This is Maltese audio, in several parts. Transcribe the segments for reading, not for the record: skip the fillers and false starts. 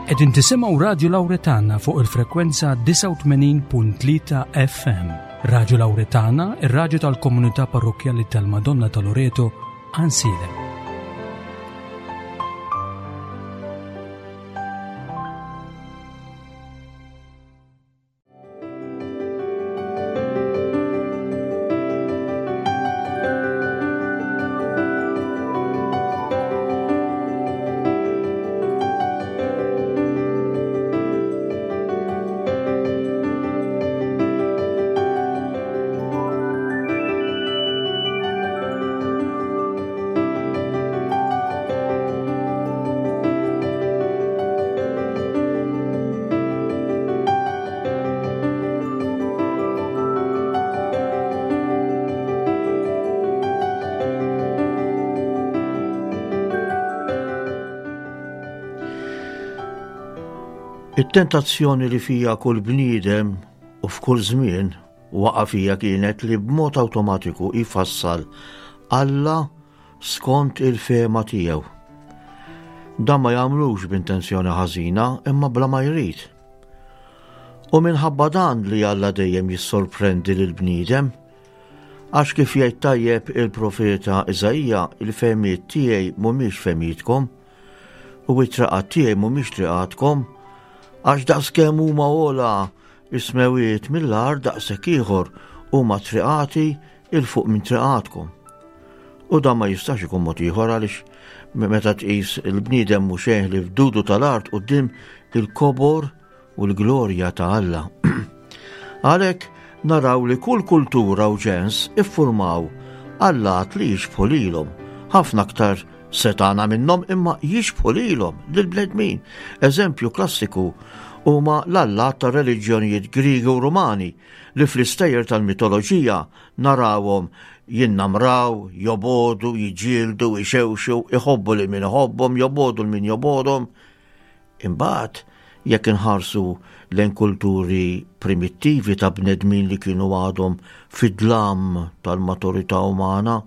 Qegħdin tisimgħu Radju Lawretana fuq il-frekwenza 89.3 FM. Radju Lawretana, ir-radju tal-komunità parrokkjali tal-Madonna ta' Loreto, Ansilem. It-tentazzjoni li fija kull bniedem u f'kull żmien waqa' fija kienet li b'mod awtomatiku jfassal Alla skont il-fehma tiegħu. Dan ma jagħmlux b'intenzjoni ħażina imma bla ma jrid. U minħabba dan li Alla dejjem jissorprendi lill-bniedem, għax kif jgħid tajjeb il-profeta Iżaija, il-fehmiet tiegħi mhumiex fehmietkom, u it-traqat tiegħi mhumiex triqatkom, għax daqskemm huma ogħla is-smewiet mill-art daqshekk ieħor huma triqati 'il fuq minn triqatkom. U dan ma jistax ikun mod ieħor għaliex meta tqis il-bniedem mhu xejn li f'dudu tal-art quddiem il-kobor u l-glorja ta' Alla. Għalhekk naraw li kull kultura u ġens iffurmaw allat li jixbħu lilhom, ħafna aktar setana minnhom imma jixbħu lilhom lill-bnedmin. Eżempju klassiku huma l-allat ta' reliġjonijiet Griegi u Rumani li fl-istejjer tal-mitoloġija narawhom jinnamraw, jobogħdu, jiġġieldu, ixewxu, iħobbu lil min iħobbhom, jobogħdu lil min jobogħdhom. Imbagħad, jekk inħarsu lejn kulturi primittivi ta' bnedmin li kienu għadhom fid-dlam tal-maturità umana,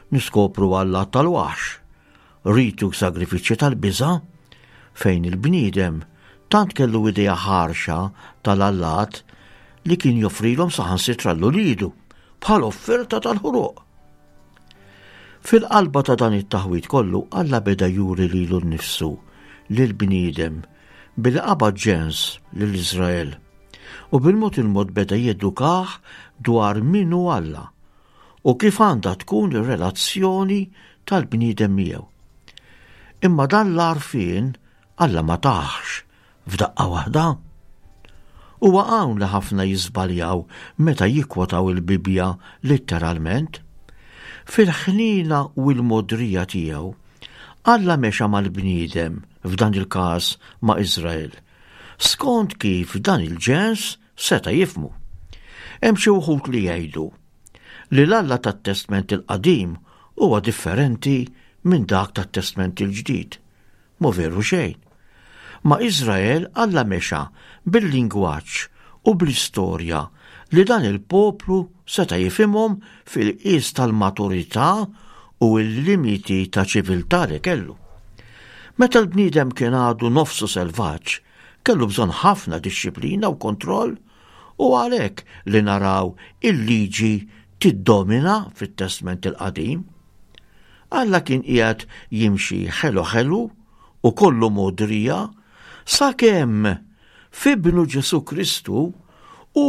niskopru allat tal-waħx, riti u sagrifiċċji tal-biża' fejn il-bniedem tant kellu idea ħarxa tal-allat li kien joffrilhom saħansitra l-ulidu bħal offerta tal-ħruq. Fil-qalba ta' dan it-taħwid kollu Alla beda juri lilu nnifsu lill-bniedem billi qabad ġens lil Iżrael u bil-mod il-mod beda jedukah dwar min hu Alla u kif għandha tkun ir-relazzjoni tal-bniedem miegħu. Imma dan l-għarfien Alla ma tahx f'daqqa waħda. Huwa hawn li ħafna jiżbaljaw meta jikkwotaw il-Bibbja litteralment. Fil-ħniena u l-mogħdrija tiegħu, Alla mexa mal-bniedem, f'dan il-każ ma' Iżrael, skont kif dan il-ġens seta' jifhmu. Hemm xi wħud li jgħidu li l-Alla tat-Testment il-Qadim huwa differenti minn dak tat-Testment il-Ġdid. Mhu veru xejn. Ma' Iżrael Alla mexa bil-lingwaġġ u bl-istorja li dan il-poplu seta' jifhimhom fil-qies tal-maturità u l-limiti ta' ċiviltà li kellu. Meta l-bniedem kien għadu nofsu selvaġġ, kellu bżonn ħafna dixxiplina u kontroll u għalhekk li naraw il-liġi tiddomina fit-Testment il-Qadim. Alla kien qiegħed jimxi ħelu ħelu u kollu mogħdrija sakemm f'Ibnu Ġesù Kristu hu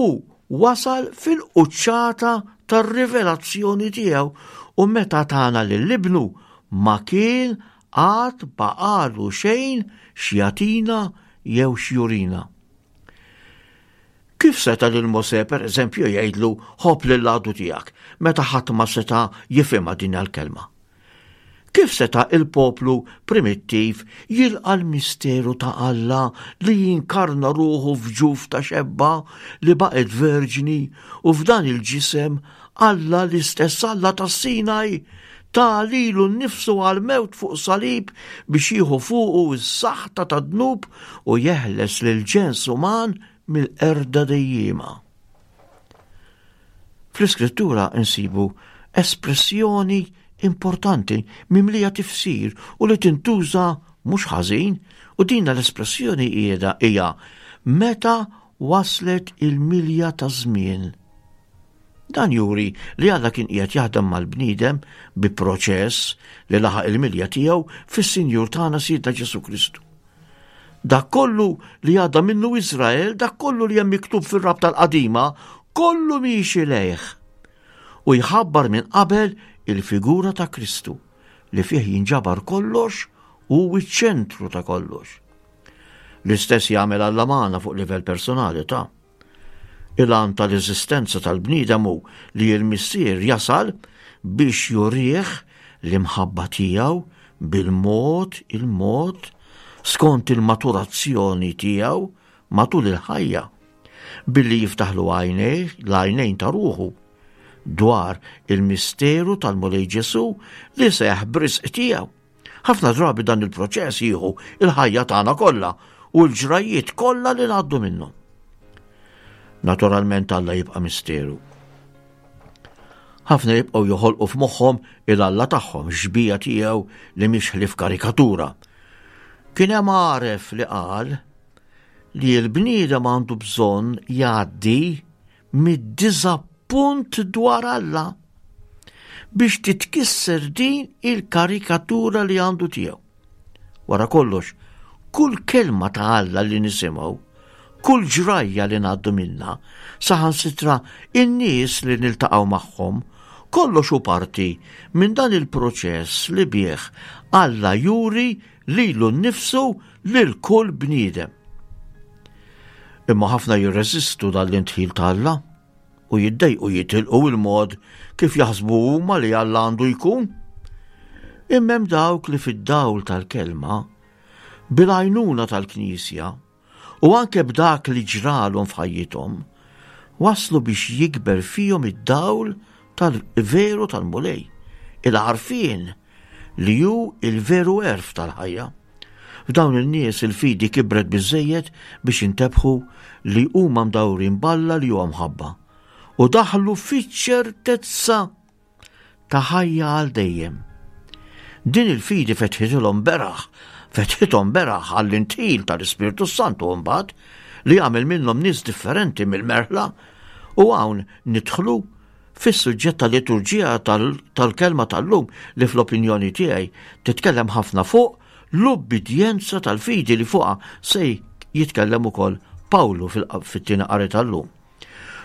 wasal fil-quċċata tar-rivelazzjoni tiegħu u meta tana lil Ibnu ma kien għad baqagħlu xejn x'jagħtina jew x'jurina. Kif seta' lil Mosè, per eżempju, jgħidlu ħobb lill-għadu tiegħek meta ħadd ma seta' jifhimha din l-kelma? Kif seta' il-poplu primittiv jilqa' l-misteru ta' Alla li jinkarna ruħu f'ġuf ta' xebba li baqgħet verġni u f'dan il-ġisem Alla l-istess Alla tas-Sinaj ta lilu nnifsu għall-mewt fuq salib biex jieħu fuqu s-saħta tad-dnub u jeħles lill-ġens uman mill-qerda dejjiema. Fl-Iskrittura nsibu espressjoni importanti mimlija tifsir u li tintuża mhux ħażin u din l-espressjoni qiegħda hija meta waslet il-milja ta' żmien. Dan juri li Alla kien qiegħed jaħdem mal-bniedem bi proċess li laħaq il-milja tiegħu fis-Sinjur tagħna Sidna Ġesù Kristu. Dak kollu li għadda minnu Iżrael, dak kollu li hemm miktub fir-rabta l-qadima, kollu miexi lejh. U jħabbar minn qabel il-figura ta' Kristu li fih jinġabar kollox u ċ-ċentru ta' kollox. L-istess jagħmel Alla magħna fuq livell personali ta' Il-għan tal-eżistenza tal-bniedem hu li l-Missier jasal biex jurih l-imħabba tiegħu bil-mod il-mod skont il-maturazzjoni tiegħu matul il-ħajja billi jiftaħlu għajnejh l-għajnejn ta' ruħu dwar il-misteru tal-Mulej Ġesu li seħ b'risq tiegħu. Ħafna drabi dan il-proċess jieħu il-ħajja tagħna kollha u l-ġrajiet kollha li ngħaddu minnhom. Naturalment Alla jibqa' misteru. Ħafna jibqgħu joħolqu f'moħħhom il-Alla tagħhom xbija tiegħu li mhix ħlief karikatura. Kien hemm għaref li qal li l-bniedem għandu bżonn jgħaddi mid-diżappunt dwar Alla biex titkisser din il-karikatura li għandu tiegħu. Wara kollox, kull kelma ta' Alla li nisimgħu, kull ġrajja li ngħaddu minna, saħansitra in-nies li niltaqgħu magħhom, kollox hu parti minn dan il-proċess li bih Alla juri lilu nnifsu lil kull bniedem. Imma ħafna jirreżistu dan l-indħil ta' Alla u jiddejqu jitilqu il-mod kif jaħsbu huma li Alla għandu jkun. Imma hemm dawk li fid-dawl tal-kelma, bil-għajnuna tal-Knisja u anke b'dak li ġralhom f'ħajjithom, waslu biex jikber fihom id-dawl tal-veru tal-Mulej, il-għarfien li hu il-veru għerf tal-ħajja. F'dawn in-nies il-fidi kibret biżżejjed biex intebħu li huma mdawrin b'Alla li huwa mħabba u daħlu fiċ-ċertezza ta' ħajja għal dejjem. Din il-fidi fetħitilhom beraħ, fetħithom beraħ għall-intil tal-Ispirtu Santu mbagħad li jagħmel minnhom nies differenti mill-merħla u hawn nidħlu Fis-suġġett tal-liturġija tal-kelma tal-lum li fl-opinjoni tiegħi titkellem ħafna fuq l-ubbidjenza tal-fidi li fuqha se jitkellem ukoll Pawlu fit-tieni qari tal-lum.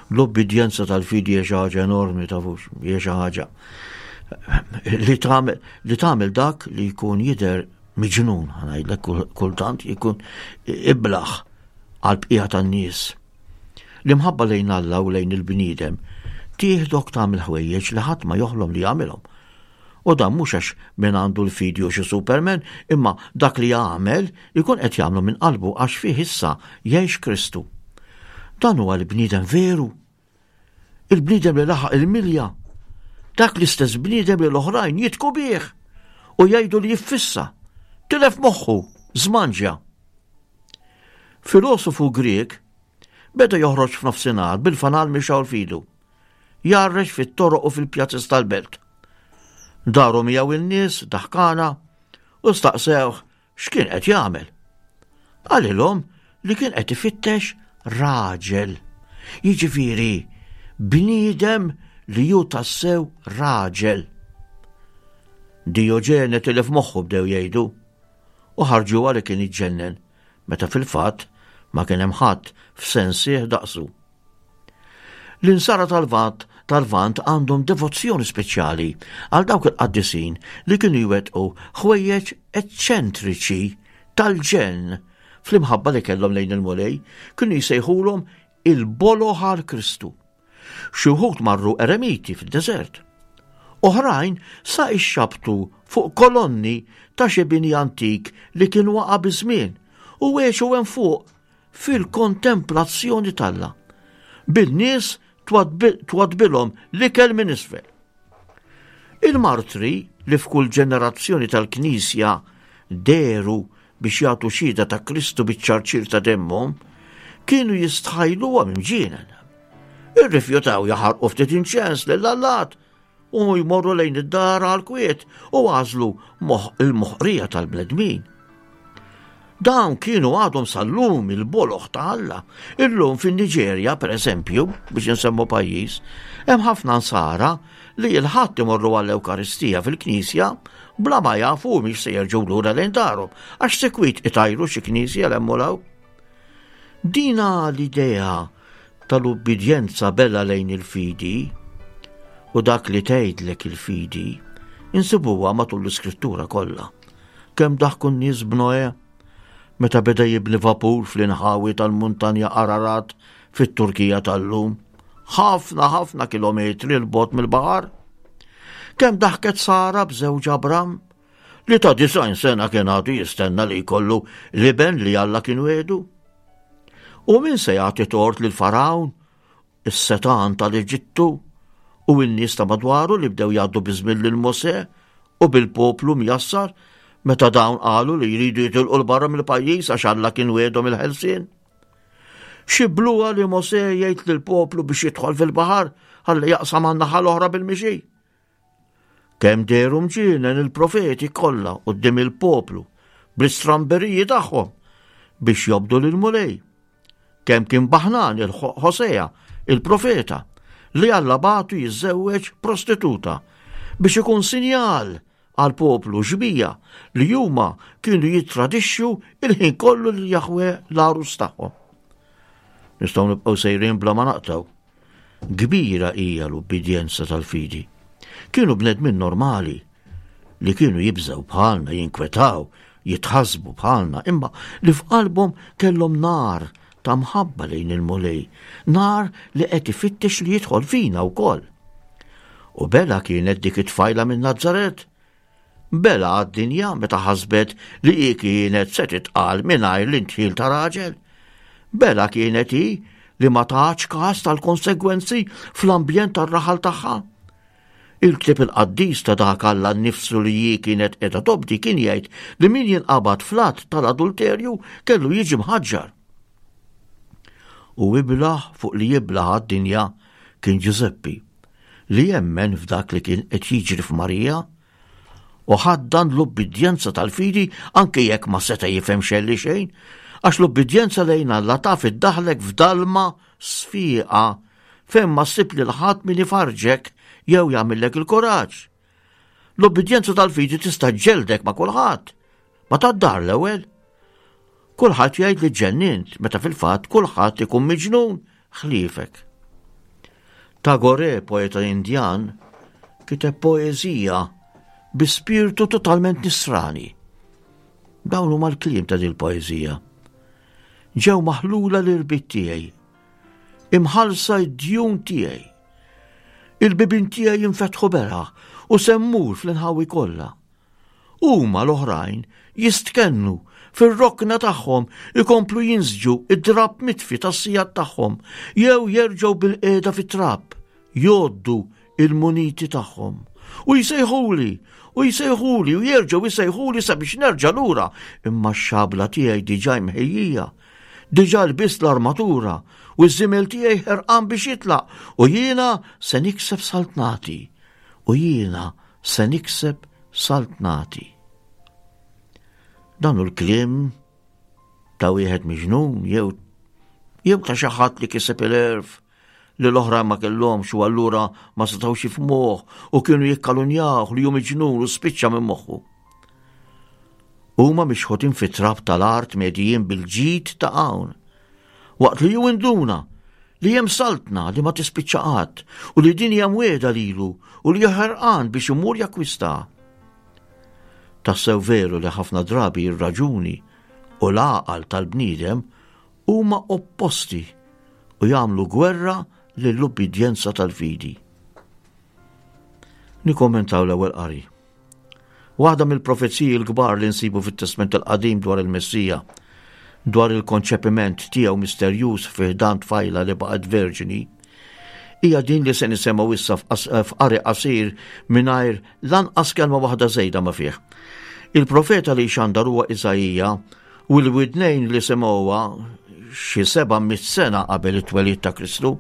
L-ubbidjenza tal-fidi hija xi ħaġa enormi tafux, hija xi ħaġa li tagħmel li tagħmel dak li jkun jidher miġnun, ngħidlek kultant jkun iblaħ għal bqija tan-nies. L-imħabba lejn Alla u lejn il-bniedem tieħdok tagħmel ħwejjeġ li ħadd ma joħlom li jagħmilhom. U dan mhux għax min għandu l-fidi u xi Superman, imma dak li jagħmel ikun qed jagħmlu minn qalbu għax fih issa jgħix Kristu. Dan huwa l-bniedem veru. Il-bniedem li laħaq il-milja. Dak l-istess bniedem li l-oħrajn jitku bih u jgħidu li jiffissa. Tilef moħħu, żmanġja. Filosofu Grieg beda joħroġ f'nofsinhar bil-fanal mixgħul f'idu, jgħarrex fit-toroq u fil-pjazez tal-belt. Daru miegħu in-nies daħkana u staqsewh x'kien qed jagħmel. Qalilhom li kien qed ifittex raġel. Jiġifieri bniedem li hu tassew raġel. Dioġene tilef moħħu bdew jgħidu u ħarġuha li kien iġġennen meta fil-fatt ma kien hemm ħadd f'sensih daqsu. L-insara tal-Lvant tal-Lvant għandhom devozzjoni speċjali għal dawk il-qaddisin li kienu jwettqu ħwejjeġ eċċentriċi tal-ġenn fl-imħabba li kellhom lejn il-Mulej, kienu jsejħulhom il-boloh għal Kristu. Xi wħud marru eremiti fid-deżert. Oħrajn sa ixxabtu fuq kolonni ta' xi bini antik li kien waqa' biż-żmien u għexu hemm fuq fil-kontemplazzjoni t'Alla. Bin-nies twadbilhom l-ikel minn isfel. Il-martri li f'kull ġenerazzjoni tal-Knisja dehru biex jagħtu xhieda ta' Kristu biċ-ċarċir ta' demmhom, kienu jistħajluhom imġienen. Irrifjutaw jaħarqu ftit inċens lill-allat u jmorru lejn id-dar għal kwiet u għażlu il-moħqrija tal-bnedmin. Dawn kienu għadhom sal-lum il-boloħ ta' Alla. Illum fin-Niġerja, per eżempju, biex insemmu pajjiż, hemm ħafna nsara li l-Ħadd imorru għall-Ewkaristija fil-knisja bla ma jafu mhix se jerġgħu lura lejn darhom għax sekwit itajru xi knisja l hemm u Dina l-idea tal-ubbidjenza bella lejn il-fidi u dak li tgħidlek il-fidi insibuha matul l-iskrittura kollha. Kemm daħku n-nies b'Noè meta beda jibni vapur fl-inħawi tal-muntanja Ararat fit-Turkija tal-lum, ħafna ħafna kilometri 'l bogħod mill-baħar. Kemm daħket Sara b'żewġ Abram li ta' 90 sena kien għadu jistenna li jkollu l-iben li Alla kien wedu. U min se jagħti tort lil Farawn is-setgħan tal-Eġittu u n-nies ta' madwaru li bdew jgħaddu biż-żmien lil Mosè u bil-poplu mjassar meta dawn qalu li jridu jitilqu 'l barra mill-pajjiż għax Alla kien wiegħdhom il-ħelsien. Xi bluha li Mosè jgħid lill-poplu biex jidħol fil-baħar ħalli jaqsam għan-naħa l-oħra bil-mixi. Kemm dehru mġienen il-profeti kollha quddiem il-poplu bl-istramberiji tagħhom biex jobdu lill-Mulej. Kemm kien baħnan il-Ħosea, il-profeta, li Alla bagħtu jiżżewweġ prostituta biex ikun sinjal għal poplu xbija li huma kienu jittradixxu il-ħin kollu lil Jaħwe l-għarus tagħhom. Nistgħu nibqgħu sejrin bla ma naqtgħu. Kbira hija l-ubbidjenza tal-fidi. Kienu bnedmin normali li kienu jibżgħu bħalna, jinkwetaw, jitħassbu bħalna, imma li f'qalbhom kellhom nar ta' mħabba lejn il-Mulej, nar li qed ifittex li jidħol fina wkoll. U bela kienet dik it-tfajla minn Nazzaret Bela għad-dinja meta ħasbet li hi kienet se titqal mingħajr l-indħil ta' raġel. Bela kienet hi li ma tatx każ tal-konsegwenzi fl-ambjent tar-raħal tagħha. Il-ktieb il-qaddis ta' dak Alla nnifsu li hi kienet qiegħda tobdi kien jgħid li min jinqabad fl-att tal-adulterju kellu jiġi mħaġġar. U iblah fuq li jiblah għad-dinja kien Ġużeppi li jemmen f'dak li kien qed jiġri f'Marija u ħaddan l-ubbidjenza tal-fidi anke jekk ma seta' jifhem xejn li xejn, għax l-ubbidjenza lejn Alla taf iddaħlek f'dalma sfiqa fejn ma ssib lil ħadd min ifarġek jew jagħmillek il-kuraġġ. L-ubbidjenza tal-fidi tista' ġġeldek ma' kulħadd, ma tad-dar l-ewwel. Kulħadd jgħid li ġġennint meta fil-fatt kulħadd ikun miġnun ħliefek. Tagore, poeta Indjan, kiteb poeżija bi spirtu totalment nisrani. Dawn huma l-kliem ta' din poeżija. Ġew maħlula l-irbit tiegħi, imħallsa d-djun tiegħi. Il-bibien tiegħi jinfetħu beraħ u semmur fl-inħawi kollha. Huma l-oħrajn jistkennu fir-rokna tagħhom ikomplu jinsġu id-drapp mitfi tas-sigħat tagħhom jew jerġgħu bilqiegħda fit-trab jgħoddu il-muniti tagħhom. U jsejħuli, u jsejħuli, u jerġgħu jsejħuli sabiex nerġa' lura, imma x-xabla tiegħi diġà mħejjija. Diġà lbist l-armatura u ż-żiemel tiegħi ħerqan biex jitlaq u jiena se nikseb saltnati. U jiena Se nikseb saltnati. Dan hu l-kliem ta' wieħed miġnun jew jew ta' xi ħadd li kiseb il-erf li l-oħra ma kellhomx u allura ma setgħux jifhmuh u kienu jikkalunjawh li hu miġnun u spiċċa minn moħħu. Huma mixħutin fit-trab tal-art medijin bil-ġid ta' hawn. Waqt li hu induna li hemm saltna li ma tispiċċa qatt u li din hija mwiegħda lilu u li ħerqan biex imur jakkwistaha. Tassew veru li ħafna drabi r-raġuni u l-għaqal tal-bniedem huma opposti u jagħmlu gwerra lill-ubbidjenza tal-fidi. Nikkommentaw l-ewwel qari. Waħda mill-profeziji l-kbar li nsibu fit-Testment il-Qadim dwar il-Messija, dwar il-konċepiment tiegħu misterjuż fi ħdan tfajla li baqgħet verġini, hija din li se nisemgħu issa f'qari qasir mingħajr lanqas kelma waħda żejda ma fih. Il-profeta li xandar huwa Iżaija u l-widnejn li semgħuha xi 700 sena qabel it-twelid ta' Kristu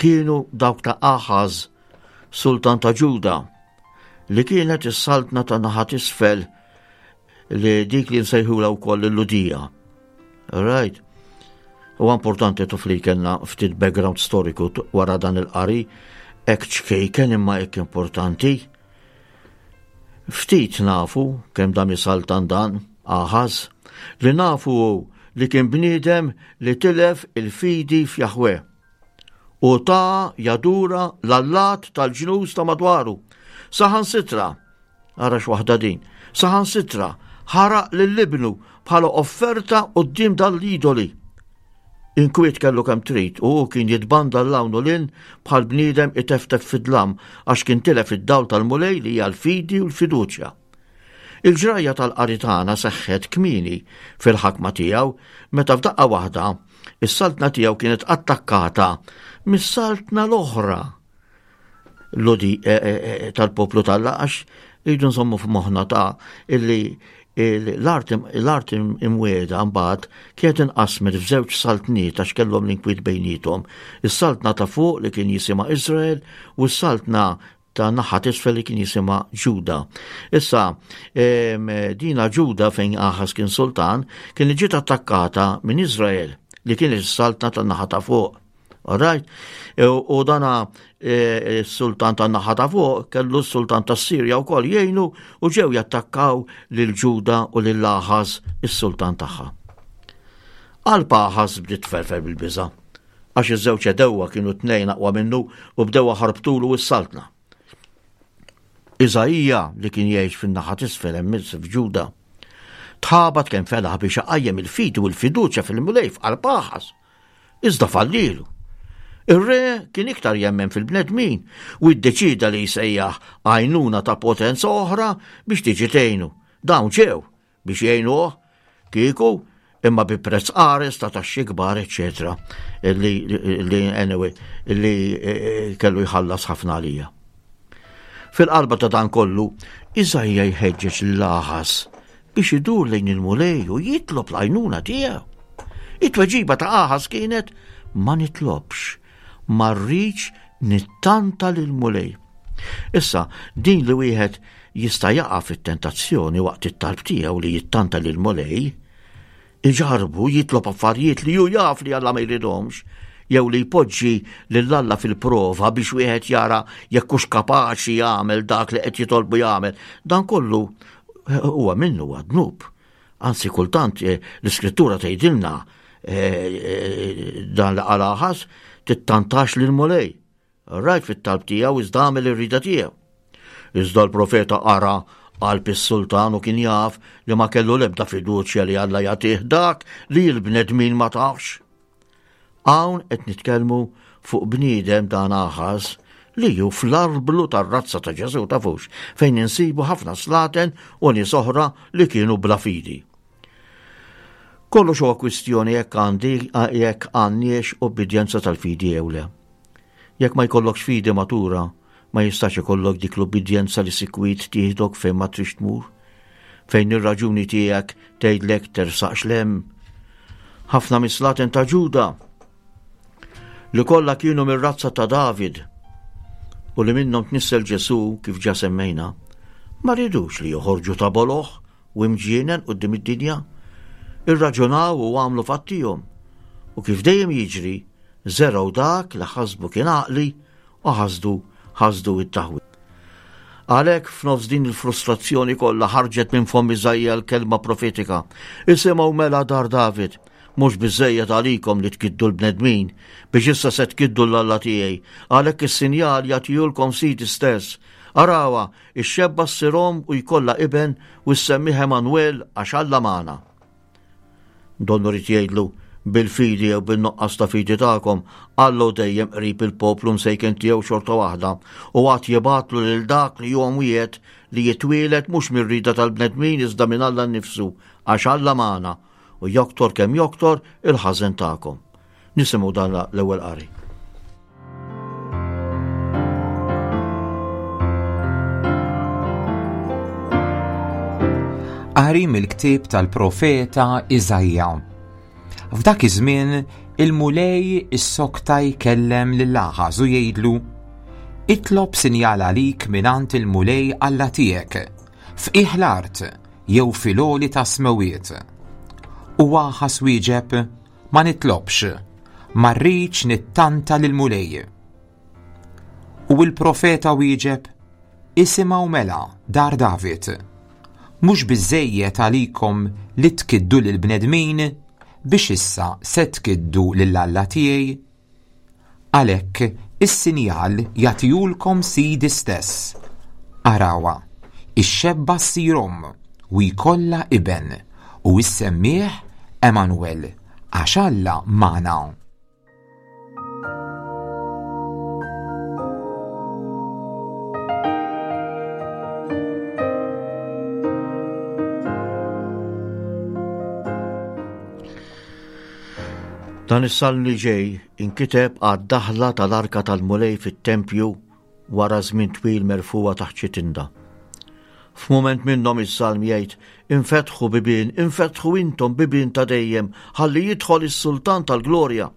kienu dawk ta' Aħaż, sultan ta' Ġuda, li kienet is-saltna ta' naħa t'isfel. Li dik li nsejħula wkoll il-Ludija. Right? Huwa importanti tuf li kellna ftit background storiku wara dan il-qari, hekk ċkejken imma hekk importanti. Ftit nafu kemm dam isaltan dan, Aħaż, li nafu hu li kien bniedem li tilef il-fidi f'Jaħwe u ta' jadura l-allat tal-ġnus ta' madwaru. Saħansitra, ara x'waħda din, saħansitra ħaraq lil ibnu bħala offerta quddiem dan l-idoli. Inkwiet kellu kemm trid u hu kien jitbanda 'l hawn u 'l hinn bħal bniedem iteftef fid-dlam għax kien tilef id-dawl tal-Mulej li hija l-fidi u l-fiduċja. Il-ġrajja tal-qari tagħna seħħet kmieni fil-ħakma tiegħu meta f'daqqa waħda is-saltna tiegħu kienet attakkata mis-saltna l-oħra ludi eh, eh, eh, tal-poplu tal għax rridu nżommu f'moħħna ta' illi l-art imwiegħda mbagħad kienet inqasmet f'żewġ saltniet għax kellhom l-inkwiet bejniethom. Is-saltna ta' fuq li kien jisimha Iżrael u s-saltna ta' naħa t'isfel li kien jisimha Ġuda. Issa, dina Ġuda fejn Aħas kien sultan, kien ġiet attakkata minn Iżrael li kien is-saltna ta' naħa ta' fuq. Alright? E, u dana e, s-sultan ta' naħa ta' fuq kellu s-sultan ta' Sirja wkoll jgħinu u ġew jattakkaw lil Ġuda u lil Aħas is-sultan tagħha. Qalb Aħas bdiet tferfer bil-biża' għax iż-żewġ għedewwa kienu tnejn aqwa minnu u bdew ħarbtulu s-saltna. Iżaija li kien jgħix fin-naħa t'isfel hemm f'Ġuda, tħabat kemm felaħ biex iqajjem il-fidi u l-fiduċja fil-Mulej f'qalb Aħas. Iżda fallilu. Ir-re kien iktar jemmen fil-bnedmin u iddeċida li jsejjaħ għajnuna ta' potenza oħra biex tiġi tgħinu. Dawn ġew biex jgħinuh kieku imma bi prezz qares ta' taxxi kbar, eċetera, li, li anyway, li eh, kellu jħallas ħafna għalija. Fil-qalba ta' dan kollu, Iżajja jħeġġeġ l-Aħas biex idur lejn il-Mulej u jitlob l-għajnuna tiegħu. It-tweġiba ta' Aħas kienet ma nitlobx, ma rridx nittanta lill-Mulej. Issa, din li wieħed jista' jaqa' fit-tentazzjoni waqt it-talb tiegħu li jittanta lill-Mulej, iġarbu jitlob affarijiet li hu jaf li Alla ma jridhomx, jew li jpoġġi lil Alla fil-prova biex wieħed jara jekk hux kapaċi jagħmel dak li qed jitolbu jagħmel. Dan kollu huwa minnu huwa dnub. Anzi kultant eh, l-iskrittura tgħidilna eh, eh, dan li qal Aħas tittantax lil Mulej. Rajt fit-talb tiegħu iżda għamel ir-rida tiegħu. Iżda l-profeta qara qalb is-sultan u kien jaf li ma kellu l-ebda fiduċja li Alla jagħtih dak li l-bnedmin ma tafx. Hawn qed nitkellmu fuq bniedem dan Aħaż li hu fl-arblu tar-razza ta' Ġesù tafux fejn insibu ħafna slaten u nies oħra li kienu bla fidi. Kollox huwa kwistjoni jekk għandi jekk għandniex ubbidjenza tal-fidi jew le. Jekk ma jkollokx fidi matura, ma jistax ikollok dik l-ubbidjenza li sikwit tieħdok fejn ma trix tmur, fejn ir-raġuni tiegħek tgħidlek tersaqx lem. Ħafna mis-slaten ta' Ġuda li kollha kienu mir-razza ta' David u li minnhom tnissel Ġesù kif ġa semmejna, ma ridux li joħorġu ta' boloh u imġienen quddiem id-dinja, irraġunaw u għamlu fattihom, u kif dejjem jiġri, żergħu dak li ħasbu kien għaqli u ħasdu ħasdu it-taħwid. Għalhekk f'nofs din il-frustrazzjoni kollha ħarġet minn fomm Iżaija l-kelma profetika. Isimgħu mela dar David, mhux biżejjed għalikom li tkiddu l-bnedmin, biex issa se tkiddu l-Alla tiegħi, għalhekk is-sinjal jagħtihulkom sidi stess. Arawha, Ix-xebba ssir omm u jkollha iben u ssemmih Emmanuel għax Alla magħna. Donnu ried jgħidlu, bil-fidi jew bin-nuqqas ta' fidi tagħkom, Alla hu dejjem qrib il-poplu msejken tiegħu xorta waħda u għad jibgħatlu lil dak li huwa mwiegħed li jitwieled mhux mir-rieda tal-bnedmin iżda minn Alla nnifsu għax Alla magħna u joktor kemm joktor il-ħażen tagħkom. Nisimgħu dan l-ewwel qari. Qari mill-ktieb tal-profeta Iżaija. F'dak iż-żmien il-Mulej issokta jkellem lil Aħaż u jgħidlu: Itlob sinjal għalik mingħand il-Mulej Alla tiegħek, f'qiegħ l-art. jew fil-għoli tas-smewwiet. U Aħaż wieġeb, Ma nitlobx, ma rridx nittanta lill-Mulej. U l-profeta wieġeb, Isimgħu mela, dar David. Mhux biżżejjed għalikom li tkiddu lill-bnedmin biex issa se tkiddu lil Alla tiegħi? Għalhekk is-sinjal jagħtihulkom Sidi stess. Arawha, ix-xebba ssir omm u jkollha iben, u issemmih Emmanuel, għax Alla magħna. Dan is-salm li ġej inkiteb għad-daħla tal-arka tal-Mulej fit-tempju wara żmien twil merfugħa taħt xi tinda. F'mument minnhom is-salm jgħid, Infetħu bibien, infetħu intom bibien ta' dejjem, ħalli jidħol is-Sultan tal-glorja.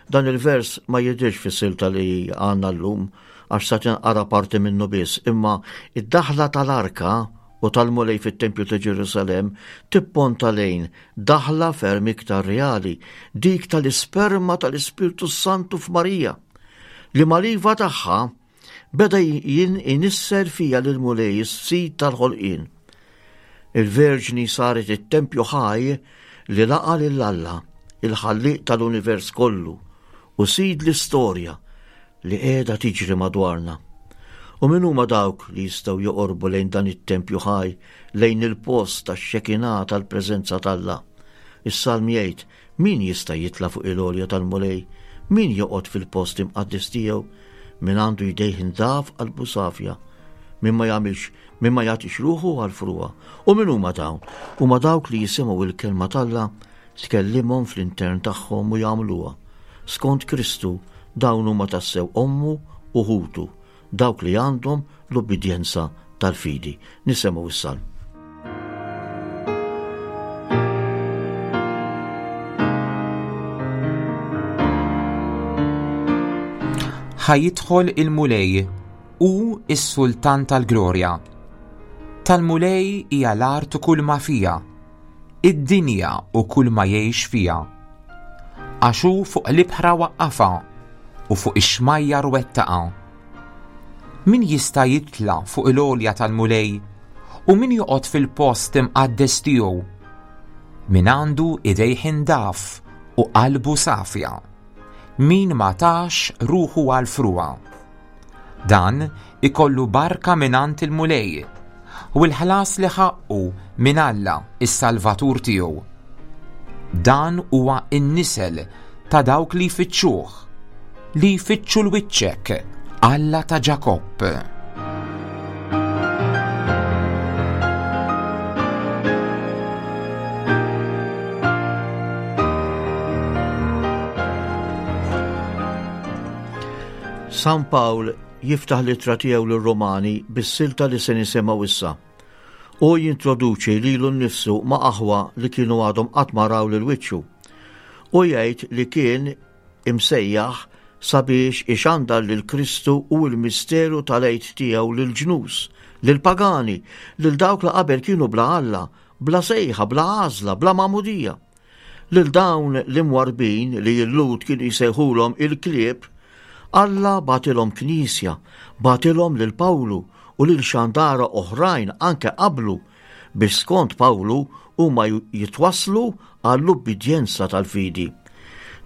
Dan il-vers ma jidhirx fis-silta li għandna llum għax sa tinqara parti minnu biss, imma id-daħla tal-arka u tal-Mulej fit-Tempju ta' Ġerusalemm tipponta lejn daħla ferm iktar reali, dik tal-isperma tal-Ispirtu Santu f'Marija, li mal-iva tagħha Beda jien inisser fija lill-Mulej is-Sid tal-ħolqien. Il-Verġni saret it-tempju ħaj li laqa' lil Alla, il-Ħallieq tal-univers kollu u Sid l-istorja li qiegħda tiġri madwarna. U min huma dawk li jistgħu joqorbu lejn dan it-tempju ħaj, lejn il-post tax-xekinà tal-preżenza t'Alla? Is-Salm jgħid, Min jista' jitla' fuq il-għolja tal-Mulej? Min joqgħod fil-post imqaddes tiegħu? Min għandu jdejh indaf qalbu safja? Min ma jagħmilx, min ma jagħtix ruħu għall-frugħa? U min huma dawn? Huma dawk li jisimgħu l-kelma t'Alla, tkellimhom fl-intern tagħhom u jagħmluha. Skont Kristu, dawn huma tassew ommu u ħutu. Dawk li għandhom l-ubbidjenza tal-fidi. Nisemgħu s-salm. Ħa jidħol il-Mulej hu s-Sultan tal-glorja. Tal-Mulej hija l-art u kull ma fiha, id-dinja u kull ma jgħix fiha. Għax hu fuq l-ibħra waqqafha u fuq ix-xmajjar wettaqha. Min jista' jitla' fuq il-għolja tal-Mulej u min joqgħod fil-post imqaddes tiegħu? Min għandu idejh indaf u qalbu safja. Min ma tax ruħu għall-frugħa. Dan ikollu barka mingħand il-Mulej u l-ħlas li ħaqqu minn Alla is-Salvatur tiegħu. Dan huwa n-nisel ta' dawk li jfittxuh, li jfittxu l-wiċċek, Alla ta' Ġakobb. San Pawl jiftaħ l-ittra tiegħu lir-Rumani bis-silta li se nisimgħu issa. Hu jintroduċi lilu nnifsu ma' aħwa li kienu għadhom qatt ma raw lil wiċċu. Hu jgħid li kien imsejjaħ sabiex ixandar lil Kristu u l-misteru tal-Għid tiegħu lill-ġnus, lill-pagani, lil dawk li qabel kienu bla Alla, bla sejħa, bla għażla, bla magħmudija. Lil dawn l-imwarrbin li l-Lhud kienu jsejħulhom il-klieb, Alla bagħtilhom knisja, bagħtilhom lil Pawlu u lil xandara oħrajn anke qablu biex skont Pawlu huma jitwasslu għall-ubbidjenza tal-fidi.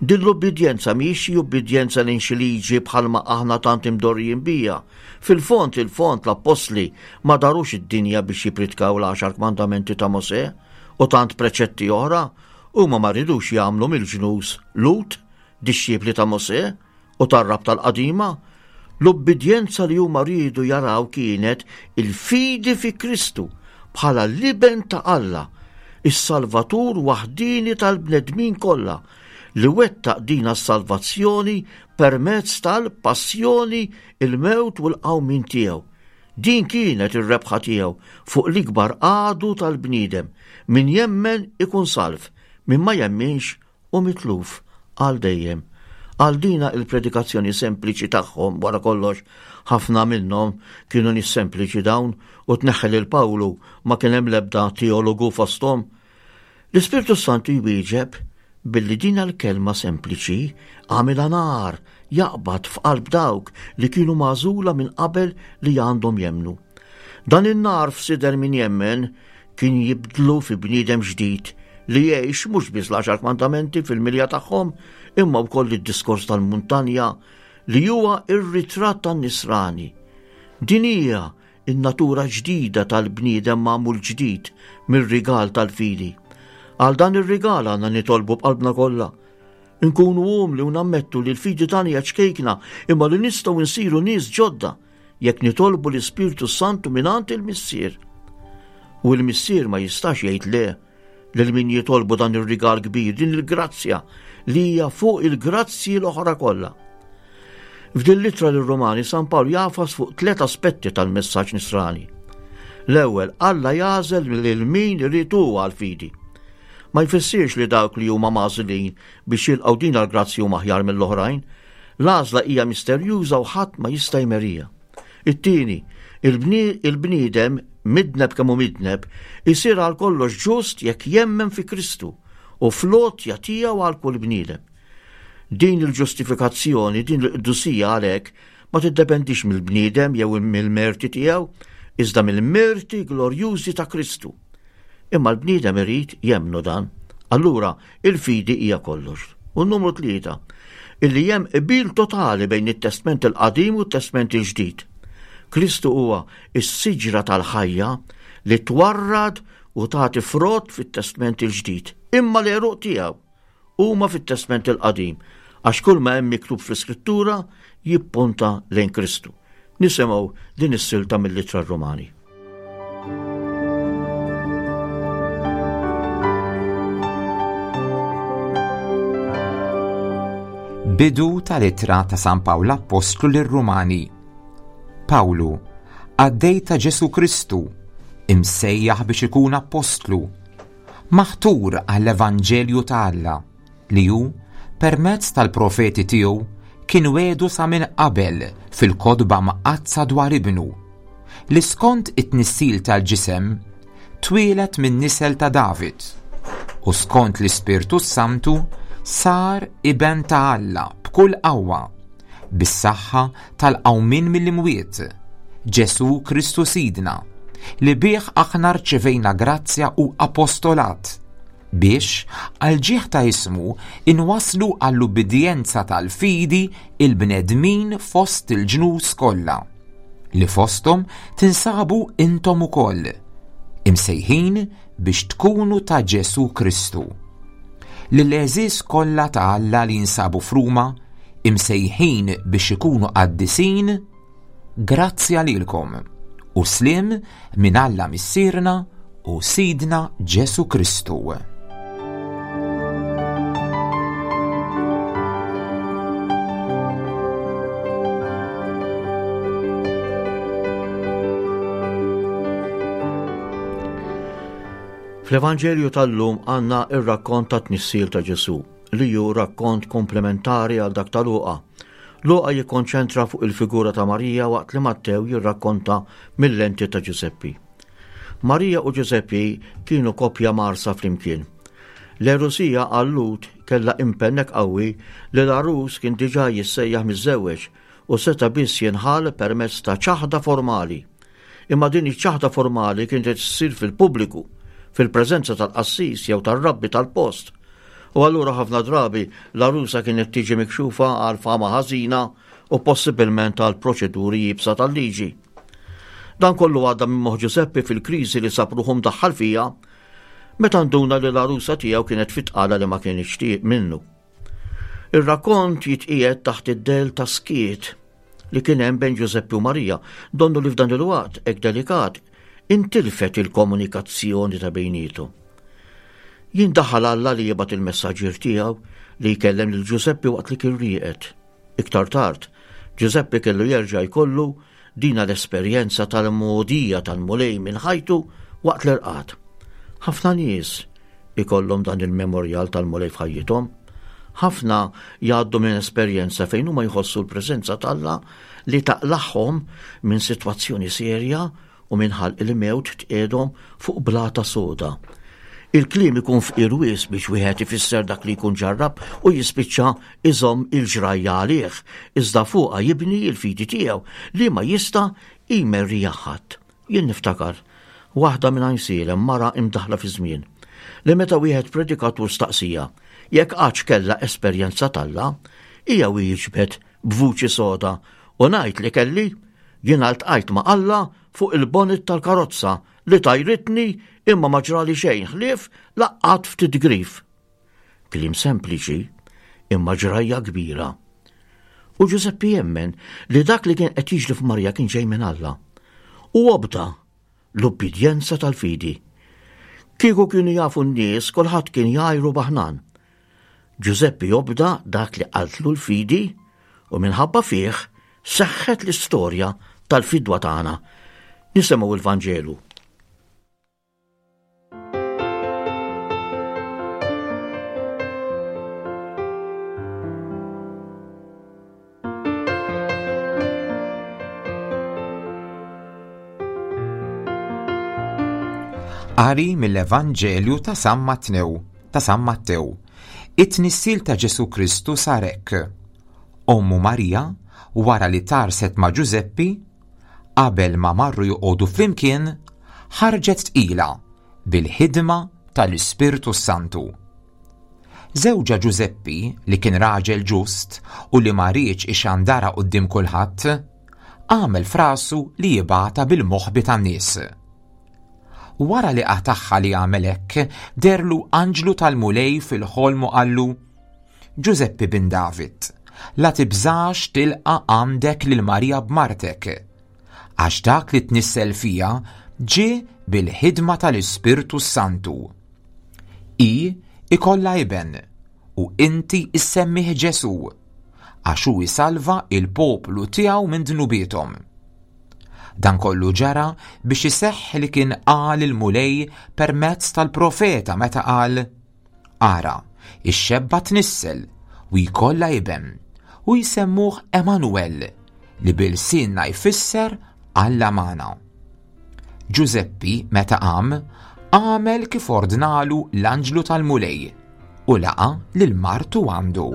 Din l-ubbidjenza mhijiex xi ubbidjenza lejn xi liġi bħalma aħna tant imdorrijin biha. Fil-fond il-fond l-appostli ma darux id-dinja biex jippritkaw l-għaxar kmandamenti ta' Mosè, u tant preċetti oħra, huma ma ridux jagħmlu mill-ġnus Lhud, dixxipli ta' Mosè u tar-Rabta l-Qadima. L-ubbidjenza li huma riedu jaraw kienet il-fidi fi Kristu bħala l-Iben ta' Alla, is-Salvatur waħdieni tal-bnedmin kollha, li wettaq dina s-salvazzjoni permezz tal-passjoni, il-mewt u l-qawmien tiegħu. Din kienet ir-rebħa tiegħu fuq l-ikbar għadu tal-bniedem, min jemmen ikun salv, min ma jemminx hu mitluf għal dejjem. Għal dina il-predikazzjoni sempliċi tagħhom, wara kollox, Ħafna minnhom kienu nies sempliċi dawn u tneħħi lil Pawlu ma kien hemm l-ebda teologu fosthom. L-Ispirtu Santu jwieġeb billi din l-kelma sempliċi għamilha nar jaqbad f'qalb dawk li kienu magħżula minn qabel li għandhom jemmnu. Dan in-nar f'sider min jemmen kien jibdlu fi bniedem ġdid li jgħix mhux biss l-għaxar kmandamenti fil-milja tagħhom imma wkoll id-diskors tal-muntanja li huwa r-ritratt tan-nisrani. Din hija n-natura ġdida tal-bniedem magħmul ġdid mir-rigal tal-fidi. Għal dan ir-rigal għandna nitolbu b'qalbna kollha. Inkunu umli u nammettu li l-fidi tagħna hija ċkejkna imma li nistgħu nsiru nies ġodda jekk nitolbu l-Ispirtu Santu mingħand il-Missier. U l-Missier ma jistax jgħid le lil min jitolbu dan ir-rigal kbir, din il-grazzja li hija fuq il-grazzji l-oħra kollha. F'din l-ittra lir-Rumani San Pawl jafas fuq tliet aspetti tal-messaġġ nisrani. L-ewwel, Alla jagħżel lil min irid hu għall-fidi. Ma jfissirx li dawk li huma magħżulin biex jilqgħu din għall-grazzji huma aħjar mill-oħrajn. L-għażla hija misterjuża u ħadd ma jista' jmerija. It-tieni, il-bniedem, midneb kemm hu midneb, isir għal kollox ġust jekk jemmen fi Kristu u fl-għotja tiegħu għal kull bniedem. Din il-ġustifikazzjoni, din il-qdusija għalhekk ma tiddependix mill-bniedem jew mill-merti tiegħu, iżda mill-merti glorjużi ta' Kristu. Imma l-bniedem irid jemmnu dan. Allura, il-fidi hija kollox. U numru tlieta, illi hemm qbil totali bejn it-Testment il-Qadim u t-Testment il-Ġdid. Kristu huwa s-siġra tal-ħajja li twarrad u tagħti frott fit-Testment il-Ġdid, imma l-għeruq tiegħu huma fit-Testment il-Qadim, għax kull ma hemm miktub fl-Iskrittura jippunta lejn Kristu. Nisimgħu din is-silta mill-Ittra Rumani. Bidu tal-ittra ta' San Pawl Appostlu lir-Rumani. Pawlu, qaddej ta' Ġesù Kristu, imsejjaħ biex ikun appostlu, maħtur għall-Evanġelju ta' Alla, li hu, permezz tal-profeti tiegħu, kien wiegħdu sa minn qabel fil-Kotba Mqaddsa dwar Ibnu, li skont it-tnissil tal-ġisem twieled min-nisel ta' David, u skont l-Ispirtu s-Santu sar Iben ta' Alla b'kull qawwa, bis-saħħa tal-qawmien mill-imwiet, Ġesù Kristu Sidna, li bih aħna rċevejna grazzja u apostolat, biex, għall-ġieħ ta' ismu, inwasslu għall-ubbidjenza tal-fidi il-bnedmin fost il-ġnus kollha, li fosthom tinsabu intom ukoll, imsejħin biex tkunu ta' Ġesù Kristu. Lill-għeżież kollha ta' Alla li jinsabu f'Ruma, imsejħin biex ikunu qaddisin, Grazzja lilkom u sliem minn Alla Missierna u Sidna Ġesù Kristu. Fl-Evanġelju tal-lum għandna ir-rakkont ta' tnissil ta' Ġesù, li hu rakkont komplementari għal dak ta' Luqa. Luqa jikkonċentra fuq il-figura ta' Marija waqt li Mattew jirrakkonta mil-lenti ta' Ġużeppi. Marija u Ġużeppi kienu koppja mgħarsa flimkien. L-għerusija għal-Lhud kellha impenn hekk qawwi li l-għarus kien diġà jissejjaħ miżżewweġ u seta' biss jinħall permezz ta' ċaħda formali. Imma din iċ-ċaħda formali kienet issir fil-pubbliku, fil-preżenza tal-qassis jew tar-rabbi tal-post. U allura ħafna drabi l-għarusa kienet tiġi mikxufa għal fama ħażina u possibilment għal proċeduri iebsa tal-liġi. Dan kollu għadda minn moħħ Ġużeppi fil-kriżi li sab ruħu mdaħħal fiha meta nduna li l-għarusa tiegħu kienet fit-tqala li ma kienx minnu. Ir-rakkont jitqiegħed taħt id-dell ta' skiet li kien hemm bejn Ġużeppi u Marija, donnu li f'dan il-waqt hekk delikat intilfet il-komunikazzjoni ta' bejnietu. Jindaħal Alla li jibgħat il-messaġġier tiegħu li jkellem lil Ġużeppi waqt li kien rieqed. Iktar tard, Ġużeppi kellu jerġa' jkollu dina l-esperjenza tal-mogħdija tal-Mulej minn ħajtu waqt l-irqad. Ħafna nies ikollhom dan il-memorjal tal-Mulej f'ħajjithom. Ħafna jgħaddu minn esperjenza fejn huma jħossu l-preżenza t'Alla li taqlagħhom minn sitwazzjoni serja u minn ħalq il-mewt tqiegħdhom fuq blata soda. Il-kliem ikun fqir wisq biex wieħed ifisser dak li jkun ġarrab u jispiċċa iżomm il-ġrajja għalih, iżda fuqha jibni l-fidi tiegħu li ma jista' jmerriha ħadd. Jien niftakar waħda minn Għajnsielem, mara imdaħħla fiż-żmien, li meta wieħed predikatur staqsieha jekk qattx kellha esperjenza t'Alla, hija wieġbet b'vuċi soda, U ngħid li kelli, jiena ltqajt ma' Alla fuq il-bonnet tal-karozza li tajritni imma ma ġrali xejn ħlief laqqat ftit grif. Kliem sempliċi imma ġrajja kbira. U Ġużeppi jemmen li dak li kien qed jiġri f'Marija kien ġej minn Alla. U obda l-ubbidjenza tal-fidi. Kieku kienu jafu n-nies kulħadd kien jgħajru baħnan. Ġużeppi obda dak li qaltlu l-fidi u minħabba fih seħħet l-istorja tal-fidwa tagħna. Nisimgħu il-Vanġelu. Qari mill-Evanġelju ta' San Matnew, ta' San Mattew. It-tnissil ta' Ġesu Kristu sar hekk. Ommu Marija, wara li tarset ma' Ġużeppi, qabel ma marru joqogħdu flimkien, ħarġet tqila bil-ħidma tal-Ispirtu Santu. Żewġha Ġużeppi, li kien raġel ġust u li ma riedx ixandarha quddiem kulħadd, għamel f'rasu li jibgħatha bil-moħbi tan-nies. Wara li qatagħha li għamel hekk, deherlu anġlu tal-Mulej fil-ħolm u qallu, Ġużeppi bin David, la tibżax tilqa' għandek lil Marija b'martek, għax dak li tnissel fiha ġie bil-ħidma tal-Ispirtu s-Santu. Hi ikollha iben, u inti issemmih Ġesù, għax hu jsalva il-poplu tiegħu minn dnubiethom. Dan kollu ġara biex iseħħ li kien qal il-Mulej permezz tal-profeta meta qal, Ara, ix-xebba tnissel u jkollha iben, u jsemmuh Emanuel, li b'ilsienna jfisser Alla magħna. Ġużeppi, meta qam, għamel kif ordnalu l-anġlu tal-Mulej u laqa' lil martu għandu.